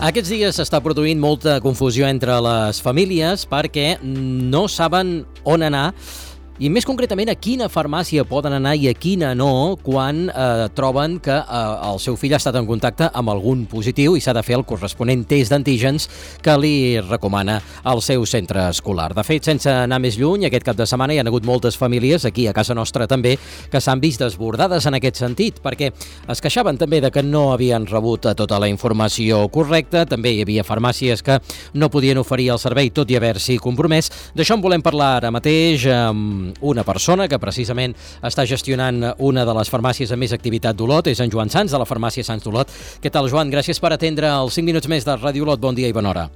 Aquests dies s'està produint molta confusió entre les famílies perquè no saben on anar i més concretament a quina farmàcia poden anar i a quina no quan troben que el seu fill ha estat en contacte amb algun positiu i s'ha de fer el corresponent test d'antígens que li recomana el seu centre escolar. De fet, sense anar més lluny, aquest cap de setmana hi ha hagut moltes famílies, aquí a casa nostra també, que s'han vist desbordades en aquest sentit, perquè es queixaven també de que no havien rebut tota la informació correcta, també hi havia farmàcies que no podien oferir el servei tot i haver-s'hi compromès. D'això en volem parlar ara mateix amb una persona que precisament està gestionant una de les farmàcies amb més activitat d'Olot, és en Joan Sans, de la farmàcia Sans d'Olot. Què tal, Joan? Gràcies per atendre els 5 minuts més de Ràdio Olot. Bon dia i bona hora.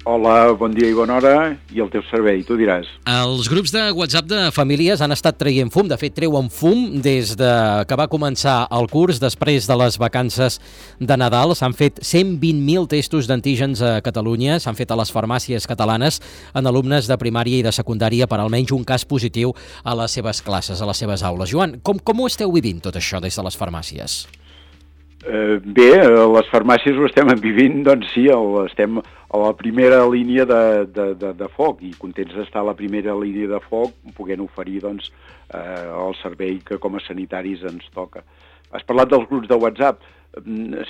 Hola, bon dia i bona hora, i el teu servei, tu diràs. Els grups de WhatsApp de famílies han estat traient fum, de fet treuen fum des que va començar el curs, després de les vacances de Nadal. S'han fet 120.000 testos d'antígens a Catalunya, s'han fet a les farmàcies catalanes en alumnes de primària i de secundària per almenys un cas positiu a les seves classes, a les seves aules. Joan, com ho esteu vivint tot això des de les farmàcies? Bé, les farmàcies ho estem vivint, doncs sí, estem a la primera línia de foc i contents d'estar a la primera línia de foc podent oferir doncs, el servei que com a sanitaris ens toca. Has parlat dels grups de WhatsApp.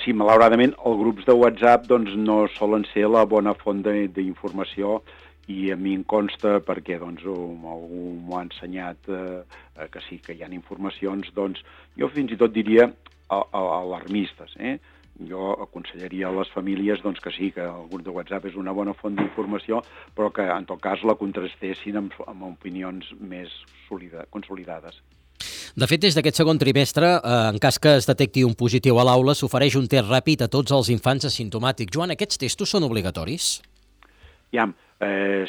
Sí, malauradament, els grups de WhatsApp doncs, no solen ser la bona font d'informació i a mi em consta, perquè doncs, algú m'ho ha ensenyat que sí, que hi ha informacions, doncs, jo fins i tot diria alarmistes. Jo aconsellaria a les famílies doncs, que sí, que el grup de WhatsApp és una bona font d'informació, però que en tot cas la contrastessin amb opinions més consolidades. De fet, des d'aquest segon trimestre, en cas que es detecti un positiu a l'aula, s'ofereix un test ràpid a tots els infants asimptomàtics. Joan, aquests testos són obligatoris?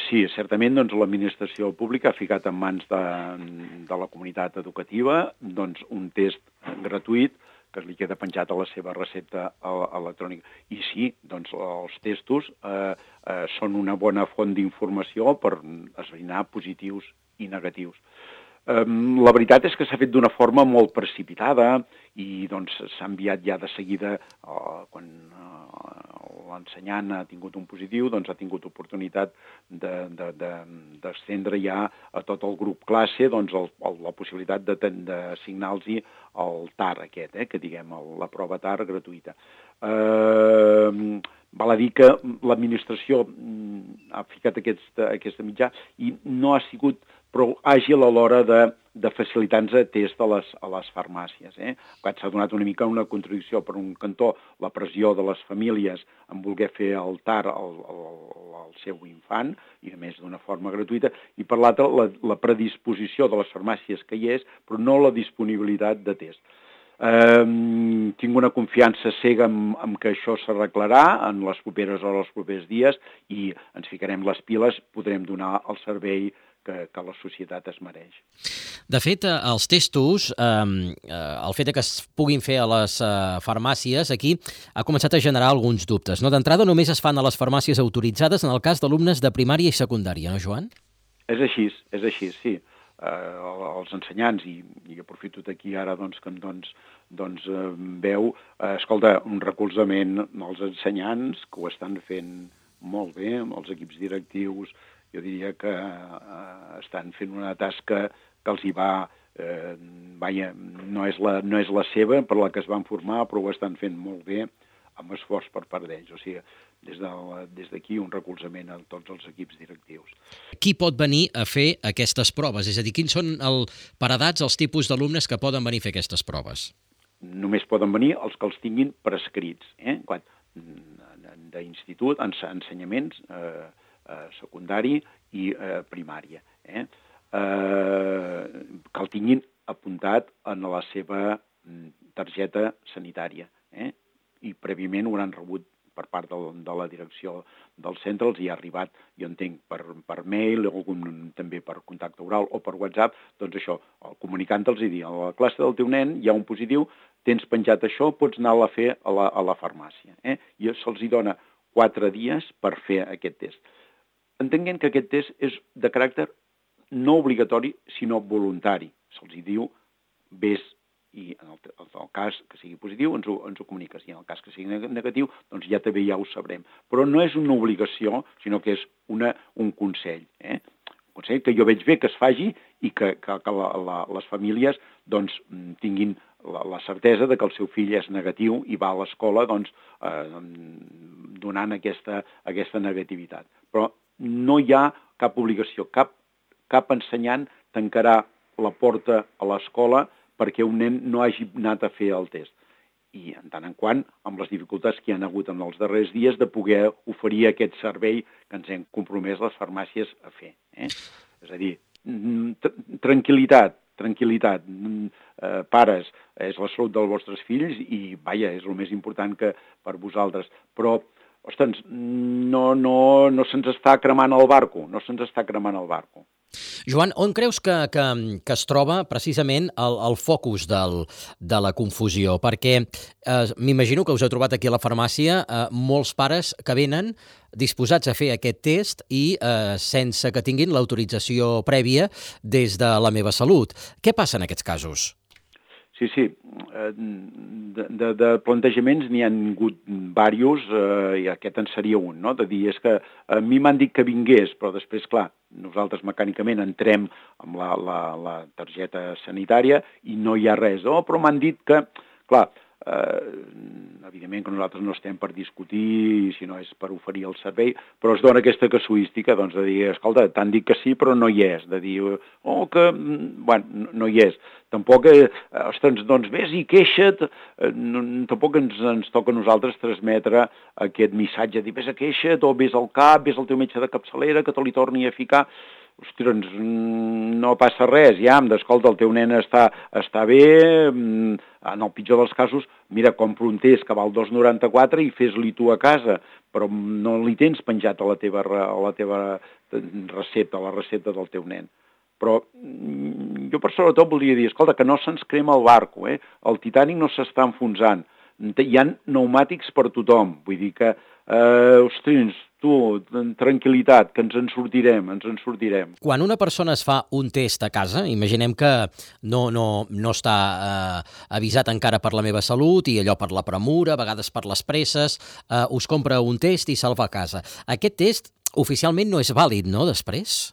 Sí, certament doncs, l'administració pública ha ficat en mans de la comunitat educativa doncs, un test gratuït que li queda penjat a la seva recepta electrònica. I sí, doncs els testos són una bona font d'informació per esbrinar positius i negatius. La veritat és que s'ha fet d'una forma molt precipitada i doncs s'ha enviat ja de seguida quan l'ensenyant ha tingut un positiu, doncs ha tingut oportunitat d'estendre ja a tot el grup classe doncs, la possibilitat d'assignar-los el TAR aquest, que diguem, la prova TAR gratuïta. Val a dir que l'administració ha ficat aquesta mitjà i no ha sigut prou àgil a l'hora de facilitar-nos test a les farmàcies. S'ha donat una mica una contradicció. Per un cantó, la pressió de les famílies en voler fer el TAR al seu infant, i a més d'una forma gratuïta, i per l'altra, la predisposició de les farmàcies que hi és, però no la disponibilitat de test. Tinc una confiança cega en que això s'arreglarà en les properes hores, els propers dies, i ens ficarem les piles, podrem donar el servei que la societat es mereix. De fet, els testos, el fet que es puguin fer a les farmàcies, aquí ha començat a generar alguns dubtes. D'entrada, només es fan a les farmàcies autoritzades en el cas d'alumnes de primària i secundària, no, Joan? És així, sí. Els ensenyants, i aprofito d'aquí ara doncs, que em veu, escolta, un recolzament als ensenyants que ho estan fent molt bé, amb els equips directius, jo diria que estan fent una tasca que els hi va, no és la seva per la que es van formar, però ho estan fent molt bé, amb esforç per part d'ells. O sigui, des d'aquí un recolzament a tots els equips directius. Qui pot venir a fer aquestes proves? És a dir, quins són per edats els tipus d'alumnes que poden venir a fer aquestes proves? Només poden venir els que els tinguin prescrits, d'institut, ensenyaments, secundari i primària, que el tinguin apuntat en la seva targeta sanitària, i prèviament ho hauran rebut per part de la direcció del centre, els hi ha arribat, jo entenc, per mail, també per contacte oral o per WhatsApp, doncs això, comunicant-los i dir, a la classe del teu nen hi ha un positiu, tens penjat això, pots anar-la a fer a la farmàcia. I se'ls dona 4 dies per fer aquest test. Entenguem que aquest test és de caràcter no obligatori, sinó voluntari. Se'ls diu, vés, i en el cas que sigui positiu ens ho comuniques, i en el cas que sigui negatiu, doncs ja també ja ho sabrem. Però no és una obligació, sinó que és un consell. Un consell que jo veig bé que es faci i que les famílies doncs, tinguin la certesa de que el seu fill és negatiu i va a l'escola doncs, donant aquesta negativitat. Però no hi ha cap obligació, cap ensenyant tancarà la porta a l'escola perquè un nen no hagi anat a fer el test. I en tant en quant, amb les dificultats que hi ha hagut en els darrers dies, de poder oferir aquest servei que ens hem compromès les farmàcies a fer. És a dir, tranquil·litat, pares, és la salut dels vostres fills i, vaja, és el més important que per vosaltres. Però, ostres, no se'ns està cremant el barco, Joan, on creus que es troba precisament el focus de la confusió? Perquè m'imagino que us heu trobat aquí a la farmàcia molts pares que venen disposats a fer aquest test i sense que tinguin l'autorització prèvia des de la Meva Salut. Què passa en aquests casos? Sí. De plantejaments n'hi ha hagut diversos, i aquest en seria un, no? De dir, és que a mi m'han dit que vingués, però després, clar, nosaltres mecànicament entrem amb la targeta sanitària i no hi ha res. Però m'han dit que, clar, evidentment que nosaltres no estem per discutir, si no és per oferir el servei, però es dona aquesta casuística, doncs, de dir, escolta, t'han dit que sí, però no hi és, de dir, no hi és. Tampoc, ostres, doncs vés i queixa't, tampoc ens toca a nosaltres transmetre aquest missatge, dir, vés a queixa't, o vés al CAP, vés al teu metge de capçalera, que te li torni a ficar. Ostres, no passa res, ja, escolta, el teu nen està bé, en el pitjor dels casos, mira, compro un test que val 2,94 i fes-li tu a casa, però no li tens penjat a la teva recepta, a la recepta del teu nen. Però jo per sobretot voldria dir, escolta, que no se'ns crema el barco, el Titanic no s'està enfonsant, hi ha pneumàtics per tothom, vull dir que, ostres, tu, tranquil·litat, que ens en sortirem. Quan una persona es fa un test a casa, imaginem que no està avisat encara per la Meva Salut i allò per la premura, a vegades per les presses, us compra un test i se'l va a casa. Aquest test oficialment no és vàlid, no, després?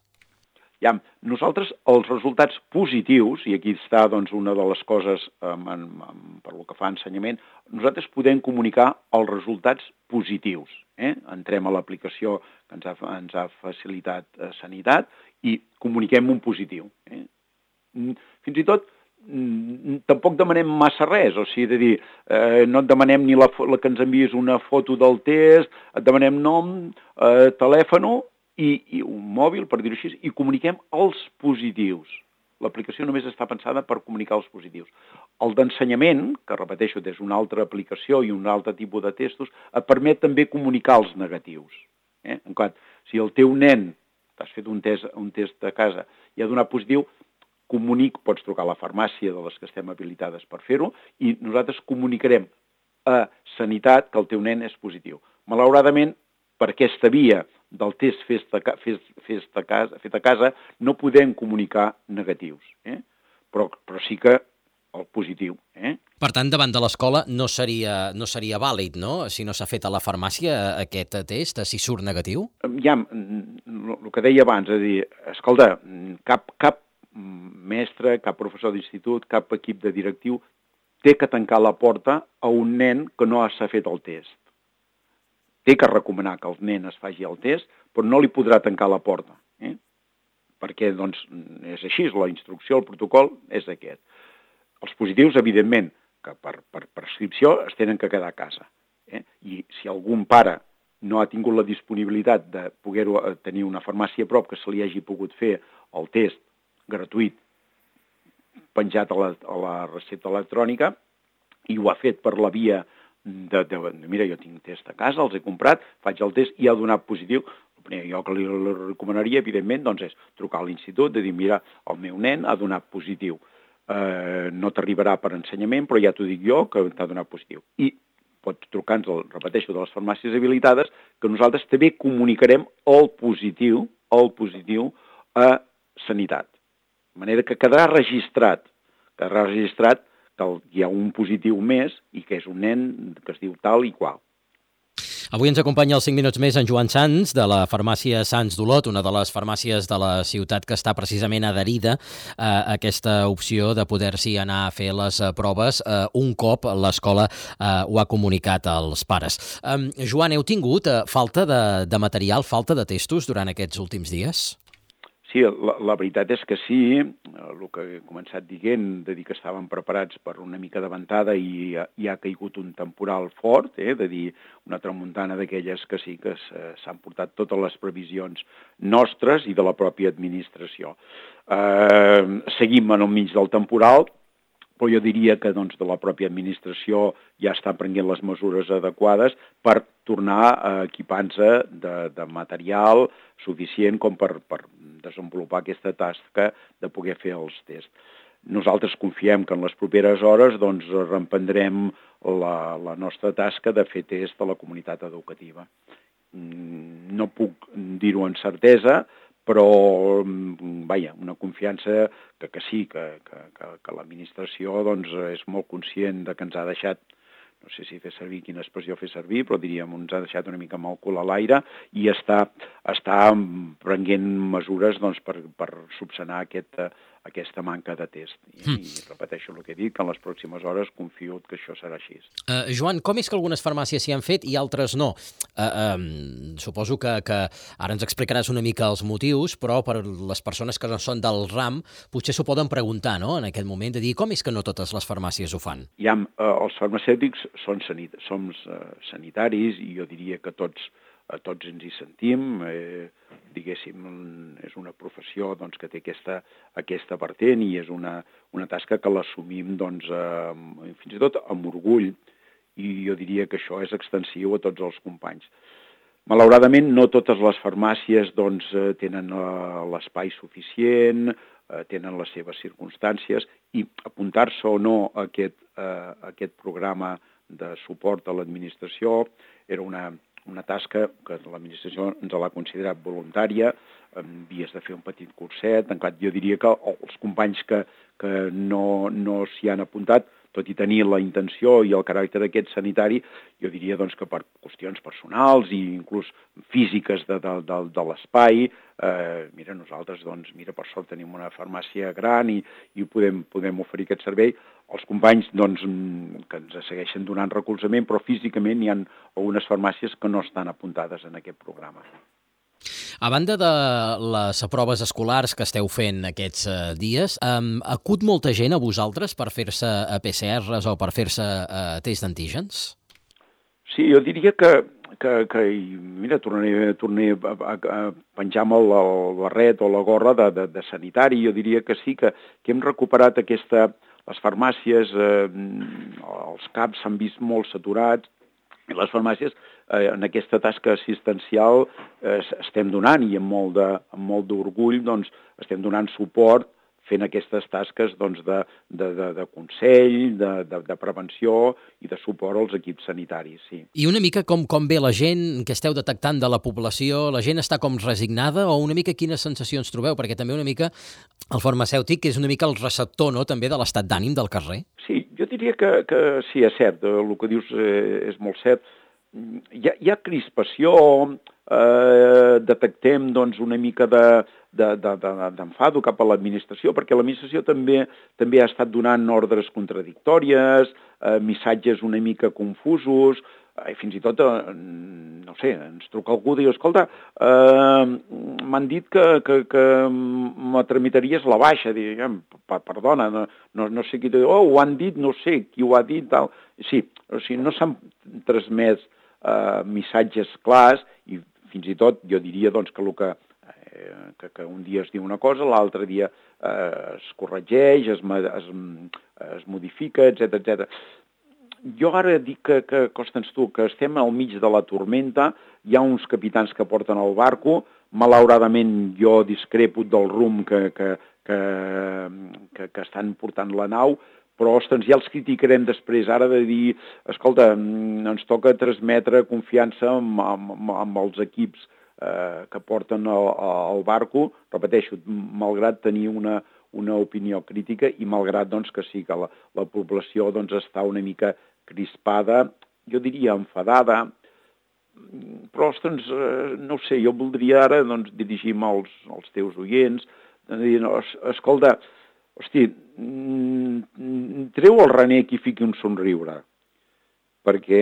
Ja, nosaltres els resultats positius, i aquí està doncs, una de les coses per lo que fa a ensenyament, nosaltres podem comunicar els resultats positius. Entrem a l'aplicació que ens ha facilitat Sanitat i comuniquem un positiu. Fins i tot tampoc demanem massa res, o sigui, de dir, no et demanem ni que ens envies una foto del test, et demanem nom, telèfon i un mòbil, per dir-ho així, i comuniquem els positius. L'aplicació només està pensada per comunicar els positius. El d'ensenyament, que repeteixo, és una altra aplicació i un altre tipus de testos, et permet també comunicar els negatius. En quant, si el teu nen, t'has fet un test a casa i ha donat positiu, pots trucar a la farmàcia de les que estem habilitades per fer-ho i nosaltres comunicarem a Sanitat que el teu nen és positiu. Malauradament, per aquesta via del test fet a casa no podem comunicar negatius, però sí que el positiu. Per tant, davant de l'escola no seria vàlid, no?, si no s'ha fet a la farmàcia aquest test, si surt negatiu? Ja, el que deia abans, és a dir, escolta, cap mestre, cap professor d'institut, cap equip de directiu té que tancar la porta a un nen que no s'ha fet el test. Té que recomanar que el nen es faci el test, però no li podrà tancar la porta, perquè doncs, és així, la instrucció, el protocol és aquest. Els positius, evidentment, que per prescripció es tenen que quedar a casa. I si algun pare no ha tingut la disponibilitat de poder tenir una farmàcia a prop que se li hagi pogut fer el test gratuït penjat a la recepta electrònica i ho ha fet per la via mira, jo tinc test a casa, els he comprat, faig el test i ha donat positiu. El primer jo que li recomanaria, evidentment, doncs és trucar a l'institut, de dir, mira, el meu nen ha donat positiu. No t'arribarà per ensenyament, però ja t'ho dic jo, que t'ha donat positiu. I pots trucar-nos, repeteixo, de les farmàcies habilitades, que nosaltres també comunicarem el positiu a Sanitat. De manera que quedarà registrat hi ha un positiu més i que és un nen que es diu tal i qual. Avui ens acompanya als 5 minuts més en Joan Sans, de la farmàcia Sans d'Olot, una de les farmàcies de la ciutat que està precisament adherida a aquesta opció de poder-s'hi anar a fer les proves un cop l'escola ho ha comunicat als pares. Joan, heu tingut falta de material, falta de testos durant aquests últims dies? Sí, la veritat és que sí, el que he començat dient, de dir que estàvem preparats per una mica de ventada i ha caigut un temporal fort, de dir una tramuntana d'aquelles que sí que s'han portat totes les previsions nostres i de la pròpia administració. Seguim en el mig del temporal, però jo diria que de la pròpia administració ja està prenent les mesures adequades per tornar a equipar-se de material suficient com per desenvolupar aquesta tasca de poder fer els tests. Nosaltres confiem que en les properes hores reemprendrem la nostra tasca de fer test a la comunitat educativa. No puc dir-ho amb certesa, però, una confiança que sí, que l'administració és molt conscient de que ens ha deixat, no sé si fer servir, quina expressió fer servir, però diríem, ens ha deixat una mica amb el cul a l'aire i està prenent mesures per subsanar aquesta manca de test. I repeteixo el que he dit, que en les pròximes hores confio que això serà així. Joan, com és que algunes farmàcies s'hi han fet i altres no? Suposo que ara ens explicaràs una mica els motius, però per les persones que no són del ram potser s'ho poden preguntar, no?, en aquest moment, de dir com és que no totes les farmàcies ho fan? Els farmacèutics som sanitaris i jo diria que tots ens hi sentim, diguéssim, és una professió que té aquesta vertent i és una tasca que l'assumim fins i tot amb orgull, i jo diria que això és extensiu a tots els companys. Malauradament no totes les farmàcies tenen l'espai suficient, tenen les seves circumstàncies, i apuntar-se o no a aquest programa de suport a l'administració era una tasca que l'administració ens l'ha considerat voluntària, havies de fer un petit curset. Jo diria que els companys que no s'hi han apuntat, tot i tenir la intenció i el caràcter aquest sanitari, jo diria que per qüestions personals i inclús físiques de l'espai, nosaltres, per sort tenim una farmàcia gran i podem oferir aquest servei. Els companys que ens segueixen donant recolzament, però físicament hi ha algunes farmàcies que no estan apuntades en aquest programa. A banda de les proves escolars que esteu fent aquests dies, acut molta gent a vosaltres per fer-se PCRs o per fer-se test d'antígens? Sí, jo diria que mira, tornaré a penjar-me el barret o la gorra de sanitari. Jo diria que sí, que hem recuperat les farmàcies, els CAPs s'han vist molt saturats, i les farmàcies en aquesta tasca assistencial estem donant, i amb molt d'orgull estem donant suport fent aquestes tasques de consell, de prevenció i de suport als equips sanitaris, sí. I una mica com ve la gent que esteu detectant de la població? La gent està com resignada o una mica quines sensacions trobeu? Perquè també una mica el farmacèutic és una mica el receptor, no?, també de l'estat d'ànim del carrer. Sí, jo diria que sí, és cert, el que dius és molt cert. Hi ha crispació, detectem una mica d'enfado cap a l'administració, perquè l'administració també ha estat donant ordres contradictòries, missatges una mica confusos, fins i tot, no sé, ens truca algú i diu, escolta, m'han dit que me tramitaries la baixa. Diguem, perdona, no sé qui t'ho diu, ho han dit, no sé qui ho ha dit, tal. Sí, o sigui, no s'han transmès missatges clars, i fins i tot jo diria que un dia es diu una cosa, l'altre dia es corregeix, es modifica, etc. Jo ara dic que Constants, tu, que estem al mig de la tormenta, hi ha uns capitans que porten el barco, malauradament jo discrepo del rumb que estan portant la nau, però, ostres, ja els criticarem després, ara de dir, escolta, ens toca transmetre confiança amb els equips que porten el barco, repeteixo, malgrat tenir una una opinió crítica i malgrat doncs, que sí que la població doncs, està una mica crispada, jo diria enfadada, però, ostres, no ho sé, jo voldria ara doncs, dirigir-me als teus oients, dir, escolta, hosti, treu el renec i fiqui un somriure, perquè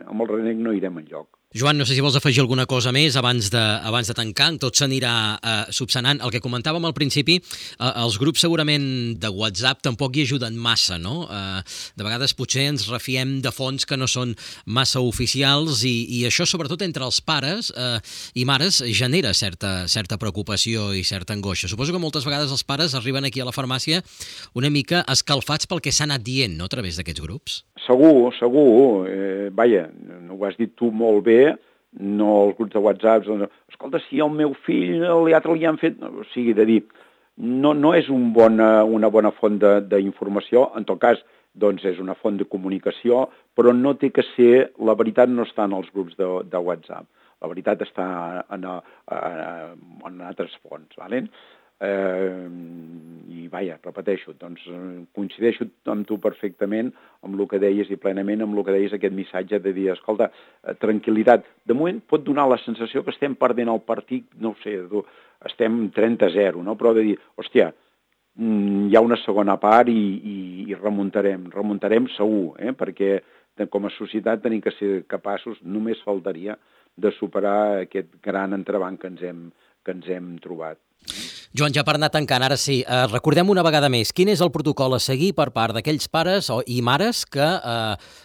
amb el renec no irem enlloc. Joan, no sé si vols afegir alguna cosa més abans de tancar, tot s'anirà subsanant. El que comentàvem al principi, els grups segurament de WhatsApp tampoc hi ajuden massa, no? De vegades potser ens refiem de fonts que no són massa oficials i això, sobretot entre els pares i mares, genera certa preocupació i certa angoixa. Suposo que moltes vegades els pares arriben aquí a la farmàcia una mica escalfats pel que s'ha anat dient, no?, a través d'aquests grups. Segur. Vaja, no ho has dit tu molt bé, no els grups de WhatsApp, escolta, si al meu fill l'altre li han fet... O sigui, de dir, no és una bona font d'informació, en tot cas, doncs és una font de comunicació, però no té que ser... La veritat no està en els grups de WhatsApp, la veritat està en altres fonts, d'acord? I vaja, repeteixo, doncs coincideixo amb tu perfectament amb el que deies i plenament amb el que deies, aquest missatge de dir, escolta, tranquil·litat. De moment pot donar la sensació que estem perdent el partit, no ho sé, estem 30-0, no? Però de dir, hòstia, hi ha una segona part i remuntarem segur, perquè com a societat tenim que ser capaços, només faltaria, de superar aquest gran entrebanc que ens hem trobat. Joan, ja per anar tancant, ara sí, recordem una vegada més, quin és el protocol a seguir per part d'aquells pares i mares que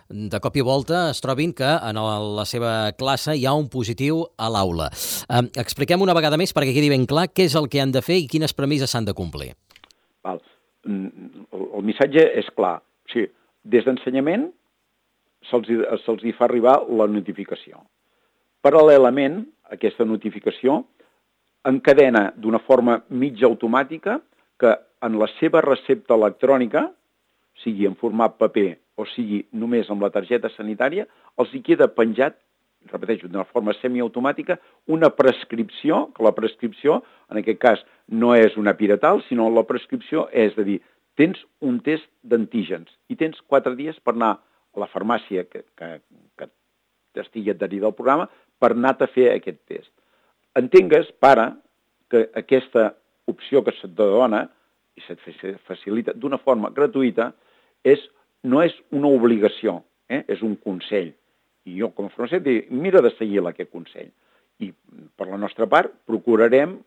de cop i volta es trobin que en la seva classe hi ha un positiu a l'aula. Expliquem una vegada més perquè quedi ben clar què és el que han de fer i quines premisses s'han de complir. Val. El missatge és clar. O sigui, des d'ensenyament se'ls hi fa arribar la notificació. Paral·lelament a aquesta notificació encadena d'una forma mig automàtica que en la seva recepta electrònica, sigui en format paper o sigui només amb la targeta sanitària, els hi queda penjat, repeteixo, d'una forma semiautomàtica, una prescripció, que la prescripció, en aquest cas, no és una piretal, sinó la prescripció és de dir, tens un test d'antígens i tens 4 dies per anar a la farmàcia que estigui adherida al programa per anar-te a fer aquest test. Entengues, pare, que aquesta opció que se't dona i se't facilita d'una forma gratuïta no és una obligació, és un consell. I jo, com a farmacèutic, mira de seguir aquest consell. I per la nostra part procurarem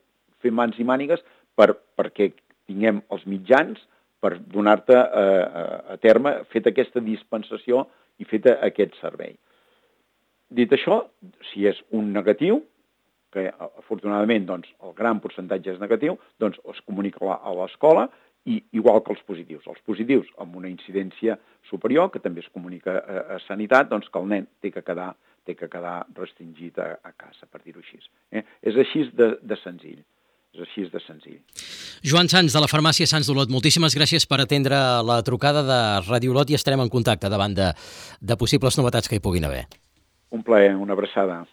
fer mans i mànigues perquè tinguem els mitjans per donar-te a terme, feta aquesta dispensació i feta aquest servei. Dit això, si és un negatiu, que afortunadament doncs, el gran percentatge és negatiu, doncs es comunica a l'escola, i igual que els positius. Els positius amb una incidència superior, que també es comunica a Sanitat, doncs que el nen té que quedar restringit a casa, per dir-ho així. És així de senzill. És així de senzill. Joan Sans, de la farmàcia Sans d'Olot, moltíssimes gràcies per atendre la trucada de Ràdio Olot i estarem en contacte davant de possibles novetats que hi puguin haver. Un plaer, una abraçada.